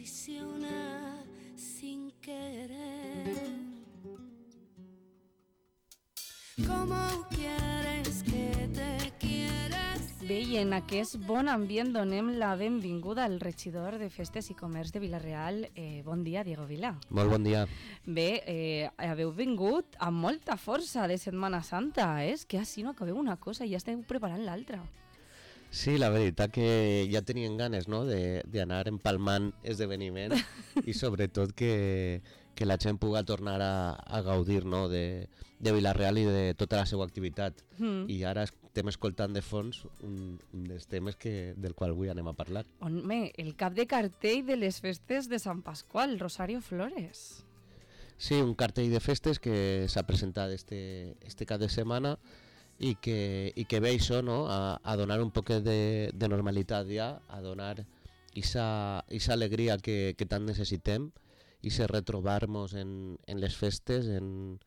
triciona sin querer. ¿Cómo quieres que te quieras? Bé, i en aquest bon ambient donem la benvinguda al regidor de Festes i Comerç de Vila-real. Bon dia, Diego Vila. Molt bon dia. Bé, haveu vingut amb molta força de Setmana Santa, és que així no acabeu una cosa i ja esteu preparant l'altra. Sí, la veritat que ja tenien ganes, no?, d'anar empalmant esdeveniment i sobretot que la gent pugui tornar a gaudir, no?, de Vila-real i de tota la seva activitat. I ara estem escoltant de fons un dels temes del qual avui anem a parlar. Home, el cap de cartell de les festes de Sant Pasqual, Rosario Flores. Sí, un cartell de festes que s'ha presentat este cap de setmana i que ve això, no?, a donar un poc de normalitat ja, a donar esa alegria que tant necessitem i se retrobar-nos en les festes, en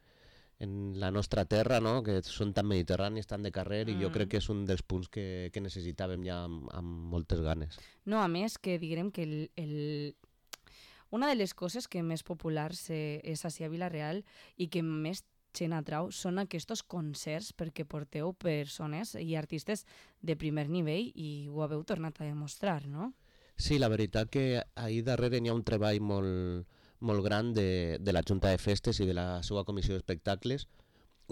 la nostra terra, no?, que són tan mediterrànies, tan de carrer, i jo crec que és un dels punts que necessitàvem ja amb moltes ganes. No, a més que diguem que una de les coses que més populars és així a Vila-real i que més gent atrau són aquests concerts perquè porteu persones i artistes de primer nivell i ho haveu tornat a demostrar, no? Sí, la veritat que ahir darrere hi ha un treball molt gran de la Junta de Festes i de la seva comissió d'espectacles,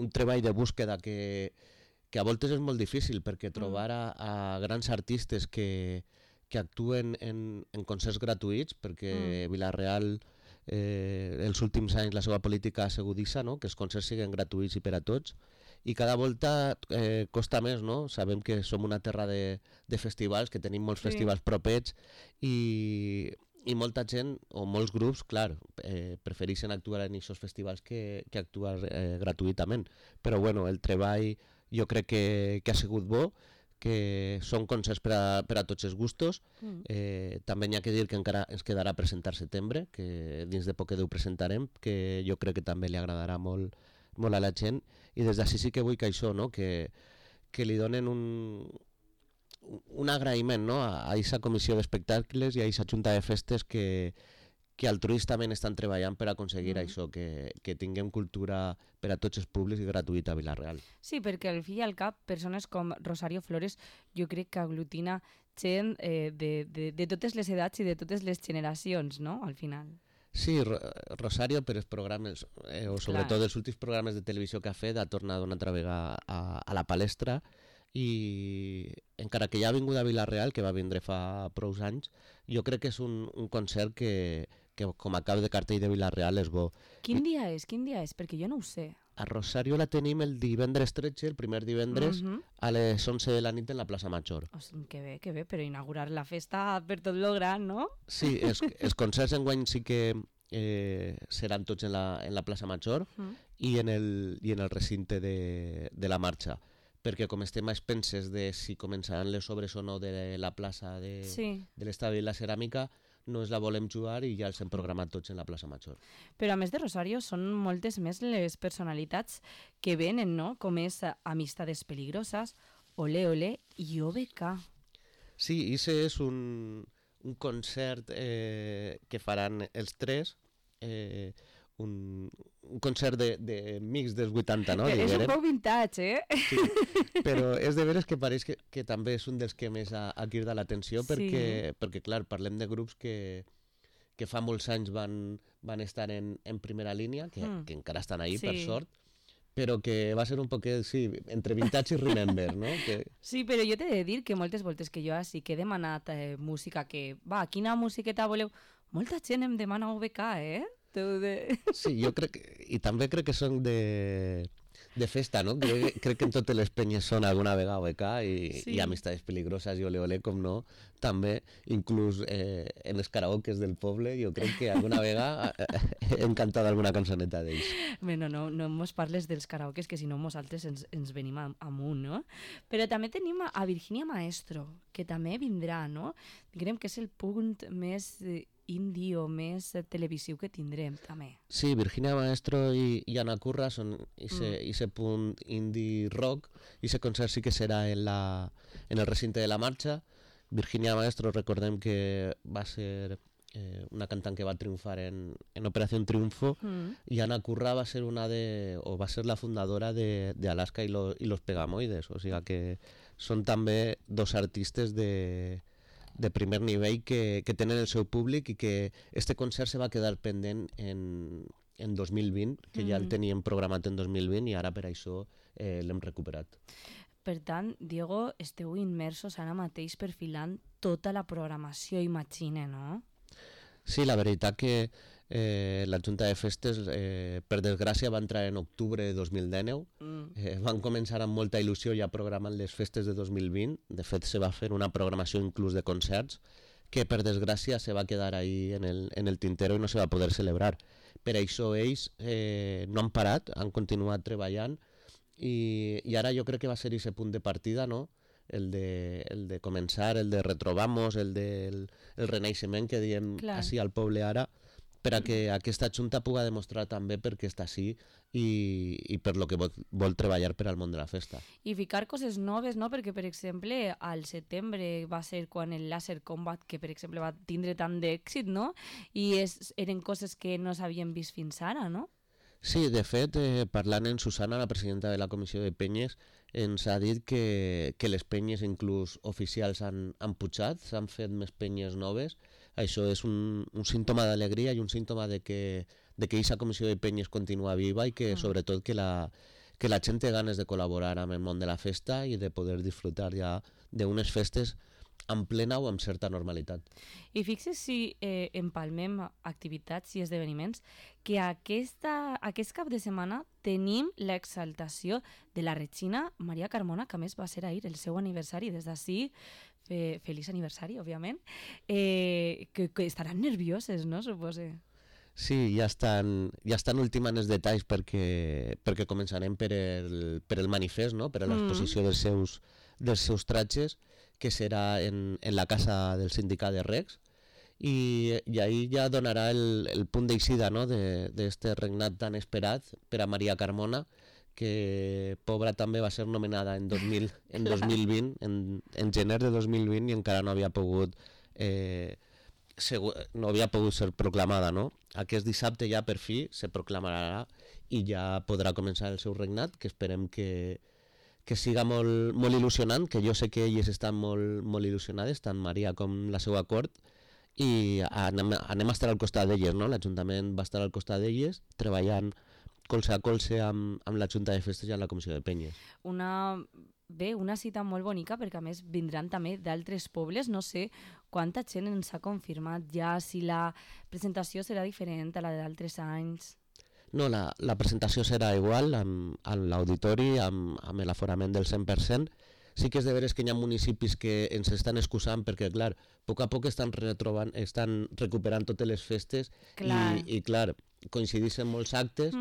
un treball de búsqueda que a voltes és molt difícil perquè trobar a grans artistes que actuen en concerts gratuïts, perquè Vila-real els últims anys la seva política ha sigut això, no?, que els concerts siguin gratuïts i per a tots, i cada volta costa més, no? Sabem que som una terra de festivals, que tenim molts festivals propets i molta gent o molts grups, clar, prefereixen actuar en aquests festivals que actuar gratuïtament, però bueno, el treball jo crec que ha sigut bo, que són concerts per a tots els gustos. També n'hi ha que dir que encara ens quedarà presentar setembre, que dins de poc ho presentarem, que jo crec que també li agradarà molt a la gent, i des d'ací sí que vull que això, no?, que li donen un agraïment, no?, a aquesta comissió d'espectacles i a aquesta junta de festes que altruistament estan treballant per aconseguir això, que tinguem cultura per a tots els públics i gratuïta a Vila-real. Sí, perquè al fi i al cap, persones com Rosario Flores jo crec que aglutina gent de totes les edats i de totes les generacions, no?, al final. Sí, Rosario per els programes, o sobretot els últims programes de televisió que ha fet, ha tornat una altra vegada a la palestra, i encara que ja ha vingut a Vila-real, que va vindre fa prou anys, jo crec que és un concert que com a cap de cartell de Vila-real és bo. Quin dia és? Perquè jo no ho sé. A Rosario la tenim el divendres 13, el primer divendres, a les 11 de la nit en la plaça Major. Que bé, però inaugurar la festa per tot lo gran, no? Sí, els concerts enguany sí que seran tots en la plaça Major i en el recinte de la marxa, perquè com estem a expenses de si començaran les obres o no de la plaça de l'Estadi i la Ceràmica, no ens la volem jugar i ja els hem programat tots en la plaça Major. Però a més de Rosario són moltes més les personalitats que venen, no?, com és Amistades Peligrosas, Olé Olé i OBK. Sí, ese és un concert que faran els tres, un concert de mix dels 80, no? És un poc vintage, Sí, però és de veres que pareix que també és un dels que més ha cridat l'atenció, perquè, clar, parlem de grups que fa molts anys van estar en primera línia, que encara estan ahí, per sort, però que va ser un poc, sí, entre vintage i remember, no? Sí, però jo t'he de dir que moltes voltes que jo sí que he demanat música, quina musiqueta voleu? Molta gent em demana OBK, Sí, jo crec, i també crec que són de festa, no? Crec que en totes les penyes són alguna vegada OBK i Amistades Peligrosas i Olé Olé, com no, també, inclús en els karaokes del poble, jo crec que alguna vegada hem cantat alguna cançoneta d'ells. Bé, no mos parles dels karaokes, que si no nosaltres ens venim amunt, no? Però també tenim a Virginia Maestro, que també vindrà, no? Diguem que és el punt més indie o més televisiu que tindrem també. Sí, Virginia Maestro i Ana Curra són ese punt indie rock, i ese concert sí que serà en el recinte de la marxa. Virginia Maestro, recordem que va ser una cantant que va triomfar en Operació Triunfo, y Ana Curra va a ser va a ser la fundadora de Alaska y los Pegamoides, o sea que són també dos artistes de primer nivell que tenen el seu públic i que este concert se va quedar pendent en 2020, que ja el teníem programat en 2020 i ara per això l'hem recuperat. Per tant, Diego, esteu immersos ara mateix perfilant tota la programació, imagine, no? Sí, la veritat que la Junta de Festes, per desgràcia, va entrar en octubre de 2019. Van començar amb molta il·lusió ja programant les festes de 2020. De fet, se va fer una programació inclús de concerts que, per desgràcia, se va quedar ahí en el tintero i no se va poder celebrar. Per això ells no han parat, han continuat treballant i ara jo crec que va ser aquest punt de partida, no? El de començar, el de retrobar-nos, el del renaixement que diem així al poble ara, per a que aquesta Junta pugui demostrar també per què està així i per lo que vol treballar per al món de la festa. I ficar coses noves, no? Perquè, per exemple, al setembre va ser quan el Laser Combat, que per exemple va tindre tant d'èxit, no? I eren coses que no s'havien vist fins ara, no? Sí, de fet, parlant amb Susana, la presidenta de la Comissió de Penyes, ens ha dit que les penyes inclús oficials han pujat, s'han fet més penyes noves. Això és un símptoma d'alegria i un símptoma de que aquesta comissió de penyes continua viva i que sobretot que la gent té ganes de col·laborar amb el món de la festa i de poder disfrutar ja d'unes festes en plena o amb certa normalitat. I fixes si empalmem activitats i esdeveniments que aquest cap de setmana tenim l'exaltació de la Regina Maria Carmona, que a més va ser ahir el seu aniversari. Des d'ací, feliç aniversari, òbviament, que estaran nervioses, no, supose? Sí, ja estan ultimant els detalls perquè començarem per el manifest, no? Per a l'exposició dels seus tratges, que serà en la casa del sindicat de Recs, i ahí ja donarà el punt d'eixida, no? d'este regnat tan esperat per a Maria Carmona, que pobra també va ser nomenada en 2020, en gener de 2020, i encara no havia pogut ser proclamada, no? Aquest dissabte ja per fi se proclamarà i ja podrà començar el seu regnat, que esperem que siga molt il·lusionant, que jo sé que elles estan molt il·lusionades, tant Maria com la seva cort, i anem a estar al costat d'elles, no? L'Ajuntament va estar al costat d'elles, treballant colze a colze amb la Junta de Festes i amb la Comissió de Penyes. Una cita molt bonica, perquè a més vindran també d'altres pobles. No sé quanta gent ens ha confirmat ja, si la presentació serà diferent a la d'altres anys. No, la presentació serà igual, amb l'auditori, amb l'aforament del 100%. Sí que és de veres que hi ha municipis que ens estan excusant perquè, clar, a poc estan recuperant totes les festes i clar, coincideixen molts actes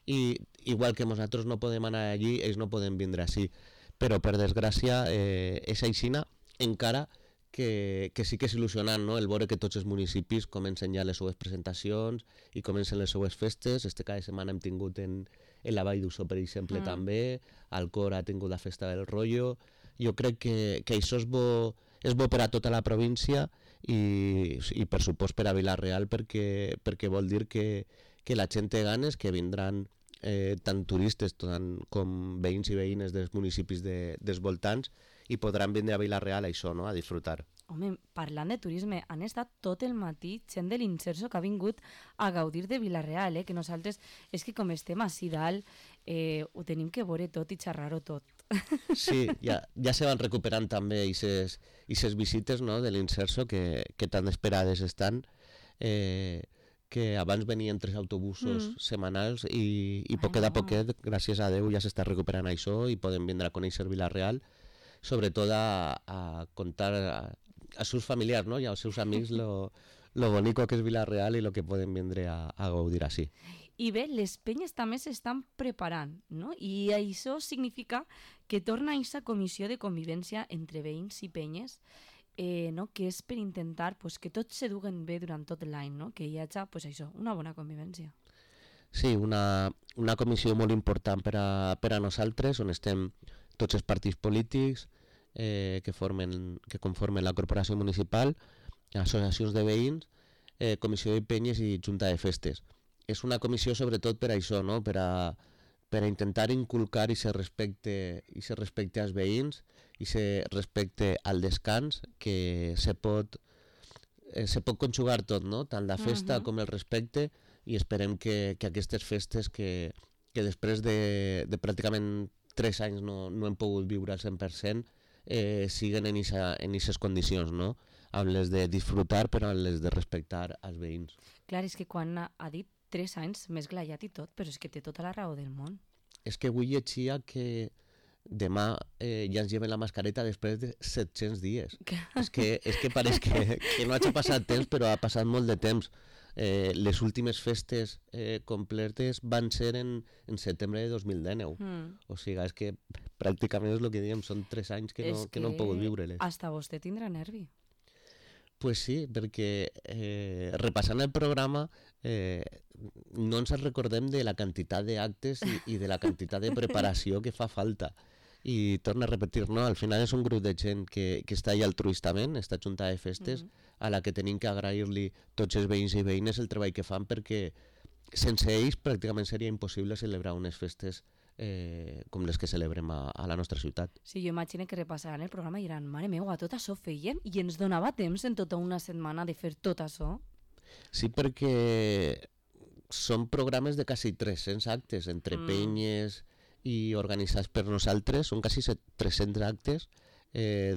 i igual que nosaltres no podem anar allí, ells no poden vindre així. Però, per desgràcia, és aixina, encara que sí que és il·lusionant, no? El veure que tots els municipis comencen ja les seues presentacions i comencen les seues festes. Cada setmana hem tingut en la Vall d'Ussó, per exemple, també. Alcora ha tingut la festa del Rollo. Jo crec que això és bo per a tota la província i per supost per a Vila-real, perquè vol dir que la gent té ganes, que vindran tant turistes com veïns i veïnes dels municipis dels voltants i podran vindre a Vila-real a disfrutar. Home, parlant de turisme, han estat tot el matí gent de l'Inserso que ha vingut a gaudir de Vila-real, que nosaltres, és que com estem així dalt, ho tenim que veure tot i xerrar-ho tot. Sí, ja se van recuperant també aquestes visites, no, de l'Inserso que tan esperades estan, que abans venien 3 autobusos setmanals i poquet a poquet, gràcies a Déu, ja s'està recuperant això i podem vindre a conèixer Vila-real, sobretot a contar als seus familiars, no? I als seus amics lo bonico que és Vila-real i lo que poden vindre a gaudir així. I bé, les penyes també s'estan preparant, no? I això significa que torna a aquesta comissió de convivència entre veïns i penyes, no? Que és per intentar que tots s'eduguen bé durant tot l'any, no? Que hi hagi una bona convivència. Sí, una comissió molt important per a nosaltres, on estem tots els partits polítics que conformen la corporació municipal, associacions de veïns, Comissió de Penyes i Junta de Festes. És una comissió sobretot per això, no? Per a intentar inculcar i se respecte als veïns i se respecte al descans, que se pot conjugar tot, no? Tant la festa com el respecte, i esperem que aquestes festes que després de pràcticament 3 anys no hem pogut viure al 100%, siguen en aquestes condicions, no? Amb les de disfrutar però amb les de respectar els veïns. Clar, és que quan ha dit 3 anys m'he esglaiat i tot, però és que té tota la raó del món. És que avui llegia que demà ja ens lleven la mascareta després de 700 dies. És que pareix que no hagi passat temps, però ha passat molt de temps. Les últimes festes completes van ser en setembre de 2019. O sigui, és que pràcticament és el que diem, són 3 anys que no hem pogut viure-les. Hasta vostè tindrà nervi. Pues sí, perquè repassant el programa no ens recordem de la quantitat d'actes i de la quantitat de preparació que fa falta. I torno a repetir, no? Al final és un grup de gent que està allà altruistament, esta junta de festes, a la que tenim que agrair-li tots els veïns i veïnes el treball que fan, perquè sense ells pràcticament seria impossible celebrar unes festes com les que celebrem a la nostra ciutat. Sí, jo imagino que repassaran el programa i diran, mare meva, tot això fèiem i ens donava temps en tota una setmana de fer tot això. Sí, perquè són programes de quasi 300 actes, entre penyes i organitzats per nosaltres, són quasi 300 actes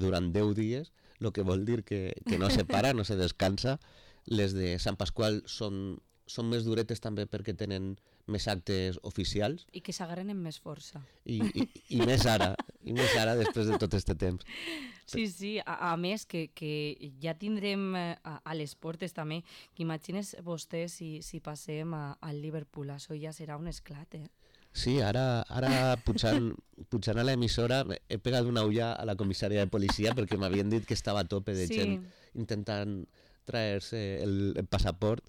durant 10 dies, el que vol dir que no se para, no se descansa. Les de Sant Pasqual són més duretes també perquè tenen més actes oficials. I que s'agarren amb més força. I més ara després de tot aquest temps. Sí, a més que ja tindrem a les portes també, que imagines vostè si passem al Liverpool, això ja serà un esclat, Sí, ara pujant a l'emissora he pegat una ulla a la comissària de policia perquè m'havien dit que estava a tope de gent intentant traer-se el passaport.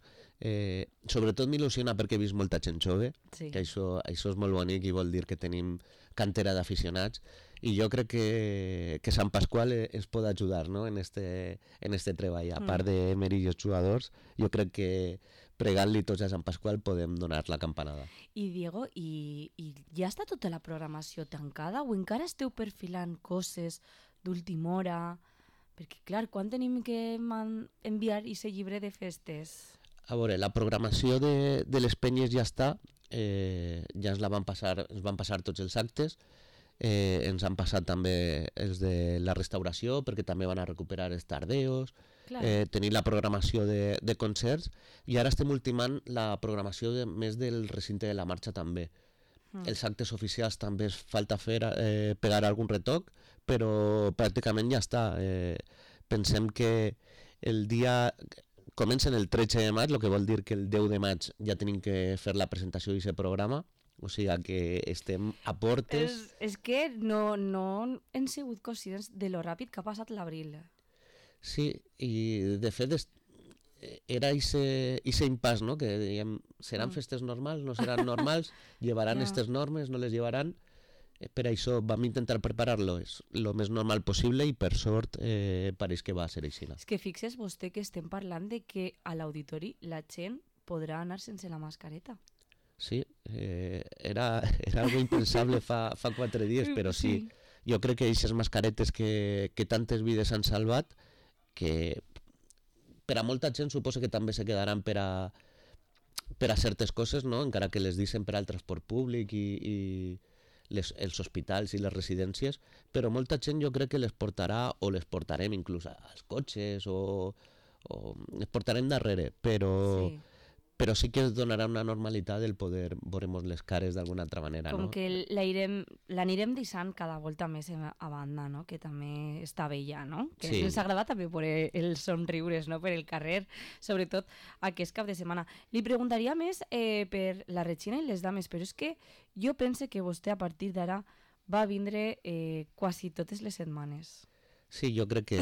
Sobretot m'il·lusiona perquè he vist molta gent jove, que això és molt bonic i vol dir que tenim cantera d'aficionats, i jo crec que Sant Pasqual ens pot ajudar, no? en este treball. A part d'Emery i els jugadors, jo crec que pregant-li tots a Sant Pasqual podem donar la campanada. I Diego, i ja està tota la programació tancada o encara esteu perfilant coses d'última hora? Perquè, clar, quan tenim que enviar aquest llibre de festes? A veure, la programació de les penyes ja està, ja ens van passar tots els actes, ens han passat també els de la restauració, perquè també van a recuperar els tardeos, tenir la programació de concerts, i ara estem ultimant la programació més del recinte de la marxa també. Els actes oficials també es falta pegar algun retoc, però pràcticament ja està. Pensem que el dia comencen el 13 de maig, el que vol dir que el 10 de maig ja tenim que fer la presentació d'aquest programa, o sigui que estem a portes. És que no hem sigut conscients de lo ràpid que ha passat l'abril. Sí, i de fet era aquest impàs, no? Que dèiem, seran festes normals, no seran normals, llevaran aquestes normes, no les llevaran. Per això vam intentar preparar-lo el més normal possible i per sort pareix que va ser així. És que fixes vostè que estem parlant de que a l'auditori la gent podrà anar sense la mascareta. Sí, era algo impensable fa 4 dies, però sí. Jo crec que aquestes mascaretes que tantes vides han salvat, que per a molta gent suposo que també se quedaran per a certes coses, no? Encara que les deixen per al transport públic i els hospitals i les residències, però molta gent jo crec que les portarà o les portarem inclús als cotxes o les portarem darrere, però sí que es donarà una normalitat el poder veure les cares d'alguna altra manera. Com que l'anirem deixant cada volta més a banda, no? Que també està bella, no? Que ens agrada també per els somriures, no? Per el carrer, sobretot aquest cap de setmana. Li preguntaria més per la Regina i les dames, però és que jo pense que vostè a partir d'ara va vindre quasi totes les setmanes. Sí, jo crec que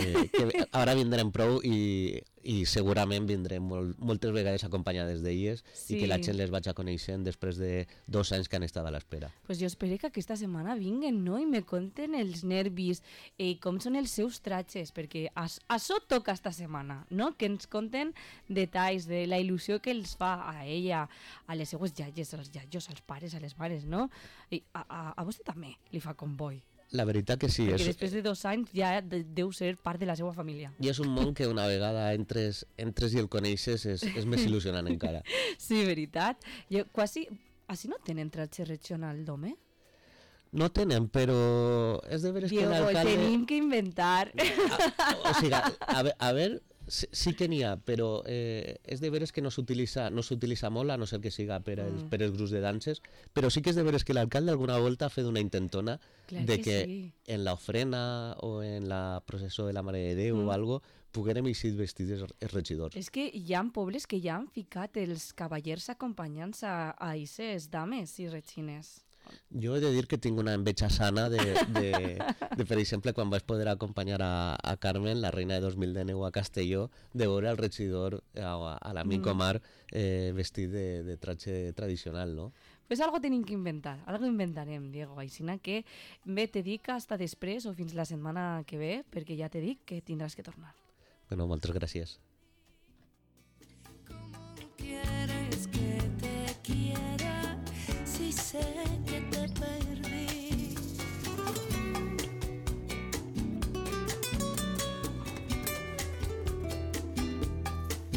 ara vindrem prou i segurament vindrem moltes vegades acompanyades d'elles i que la gent les vaig a conèixer després de 2 anys que han estat a l'espera. Pues jo espero que aquesta setmana vinguen, no? I me conten els nervis i com són els seus tratges, perquè això toca esta setmana, no? Que ens conten detalls de la il·lusió que els fa a ella, a les seues iaies, als iaios, als pares, a les mares, no? I a vostè també li fa comboi. La veritat que sí. Perquè després de 2 anys ja deu ser part de la seva família. I és un món que una vegada entres i el coneixes és més il·lusionant encara. Sí, veritat. Jo quasi... Així no tenen tratge regional d'home? No tenen, però és de veres que Diego, l'alcalde... tenim que inventar. O sigui, a veure, sí que n'hi ha, però és de veres que no s'utilitza molt, a no ser que siga per els grups de danses, però sí que és de veres que l'alcalde alguna volta ha fet una intentona de que sí. en l'ofrena o en la processó de la Mare de Déu o algo poguérem eixir vestits els regidors. És que hi ha pobles que ja han ficat els cavallers acompanyants a aquestes dames i regines. Jo he de dir que tinc una enveja sana de per exemple, quan vaig poder acompanyar a Carmen, la reina de 2019 a Castelló, de veure el regidor, a l'amic Omar, vestit de tratge tradicional, no? Pues algo tenim que inventar, algo inventarem, Diego. Aixina que bé, te dic hasta després o fins la setmana que ve, perquè ja t'he dit que tindràs que tornar. Bueno, moltes gràcies.